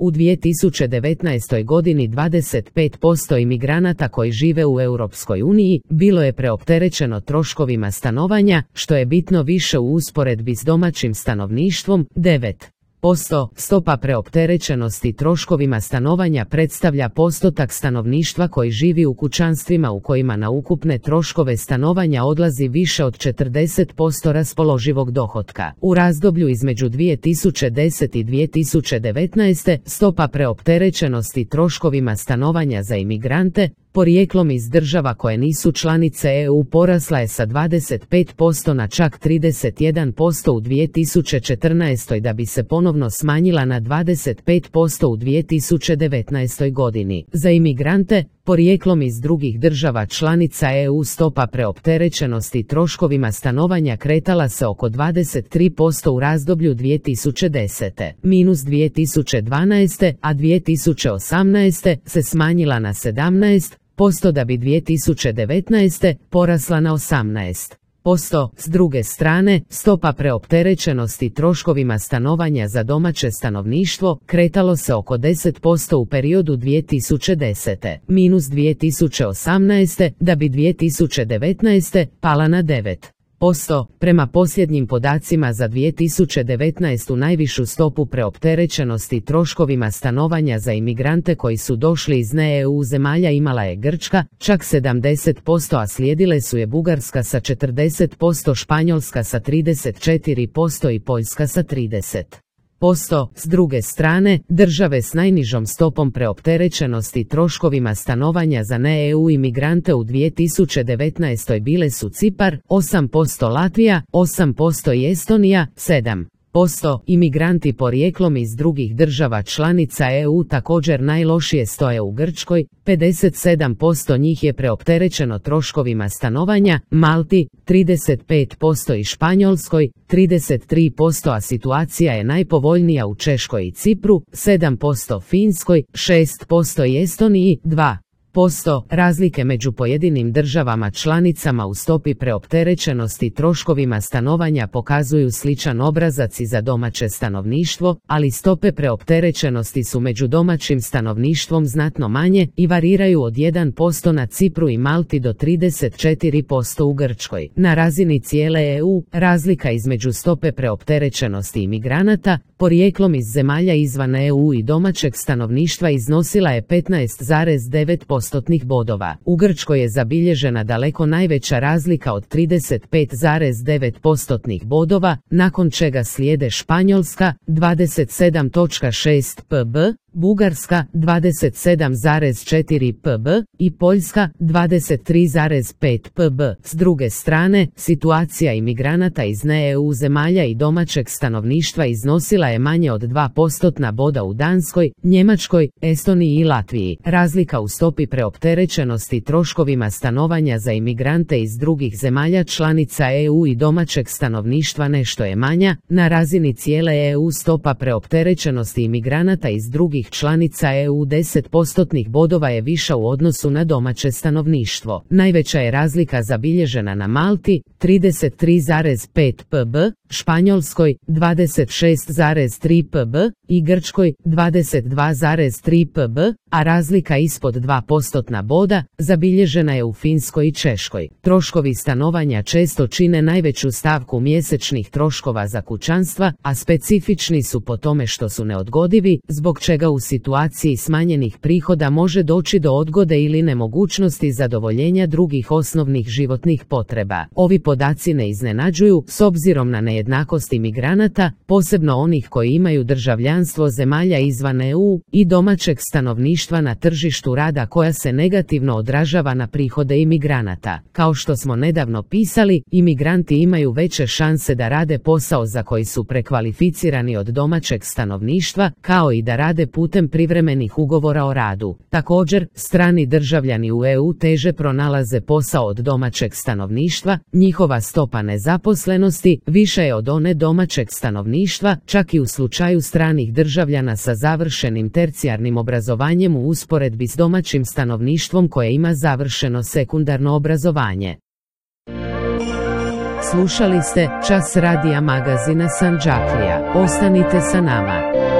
U 2019. godini 25% imigranata koji žive u Europskoj uniji bilo je preopterećeno troškovima stanovanja, što je bitno više u usporedbi s domaćim stanovništvom, 9%. Stopa preopterećenosti troškovima stanovanja predstavlja postotak stanovništva koji živi u kućanstvima u kojima na ukupne troškove stanovanja odlazi više od 40% raspoloživog dohotka. U razdoblju između 2010. i 2019. stopa preopterećenosti troškovima stanovanja za imigrante porijeklom iz država koje nisu članice EU porasla je sa 25% na čak 31% u 2014. da bi se ponovno smanjila na 25% u 2019. godini. Za imigrante porijeklom iz drugih država članica EU stopa preopterećenosti troškovima stanovanja kretala se oko 23% u razdoblju 2010. minus 2012. a 2018. se smanjila na 17% da bi 2019. porasla na 18%. S druge strane, stopa preopterećenosti troškovima stanovanja za domaće stanovništvo kretalo se oko 10% u periodu 2010. minus 2018. da bi 2019. pala na 9%. Prema posljednjim podacima za 2019. najvišu stopu preopterećenosti troškovima stanovanja za imigrante koji su došli iz ne-EU zemalja imala je Grčka, čak 70%, a slijedile su je Bugarska sa 40%, Španjolska sa 34% i Poljska sa 30%. S druge strane, države s najnižom stopom preopterećenosti troškovima stanovanja za ne-EU imigrante u 2019. bile su Cipar, 8%, Latvija, 8% i Estonija, 7%. Imigranti porijeklom iz drugih država članica EU također najlošije stoje u Grčkoj, 57% njih je preopterećeno troškovima stanovanja, Malti, 35% i Španjolskoj, 33%, a situacija je najpovoljnija u Češkoj i Cipru, 7% Finskoj, 6% i Estoniji, 2%. Razlike među pojedinim državama članicama u stopi preopterećenosti troškovima stanovanja pokazuju sličan obrazac i za domaće stanovništvo, ali stope preopterećenosti su među domaćim stanovništvom znatno manje i variraju od 1% na Cipru i Malti do 34% u Grčkoj. Na razini cijele EU, razlika između stope preopterećenosti imigranata porijeklom iz zemalja izvan EU i domaćeg stanovništva iznosila je 15,9% bodova. U Grčkoj je zabilježena daleko najveća razlika od 35,9% bodova, nakon čega slijede Španjolska 27,6 pb, Bugarska 27,4 pb i Poljska 23,5 pb. S druge strane, situacija imigranata iz ne-EU zemalja i domaćeg stanovništva iznosila je manje od 2% boda u Danskoj, Njemačkoj, Estoniji i Latviji. Razlika u stopi preopterećenosti troškovima stanovanja za imigrante iz drugih zemalja članica EU i domaćeg stanovništva nešto je manja. Na razini cijele EU stopa preopterećenosti imigranata iz drugih članica EU 10% bodova je viša u odnosu na domaće stanovništvo. Najveća je razlika zabilježena na Malti, 33,5 pb, Španjolskoj 26,3 pb i Grčkoj 22,3 pb, a razlika ispod 2% boda zabilježena je u Finskoj i Češkoj. Troškovi stanovanja često čine najveću stavku mjesečnih troškova za kućanstva, a specifični su po tome što su neodgodivi, zbog čega u situaciji smanjenih prihoda može doći do odgode ili nemogućnosti zadovoljenja drugih osnovnih životnih potreba. Ovi podaci ne iznenađuju, s obzirom na nejednakost imigranata, posebno onih koji imaju državljanstvo zemalja izvan EU i domaćeg stanovništva na tržištu rada, koja se negativno odražava na prihode imigranata. Kao što smo nedavno pisali, imigranti imaju veće šanse da rade posao za koji su prekvalificirani od domaćeg stanovništva, kao i da rade putem privremenih ugovora o radu. Također, strani državljani u EU teže pronalaze posao od domaćeg stanovništva, njihova stopa nezaposlenosti više je od one domaćeg stanovništva, čak i u slučaju stranih državljana sa završenim tercijarnim obrazovanjem u usporedbi s domaćim stanovništvom koje ima završeno sekundarno obrazovanje. Slušali ste Čas radija magazina Sandžaklija. Ostanite sa nama.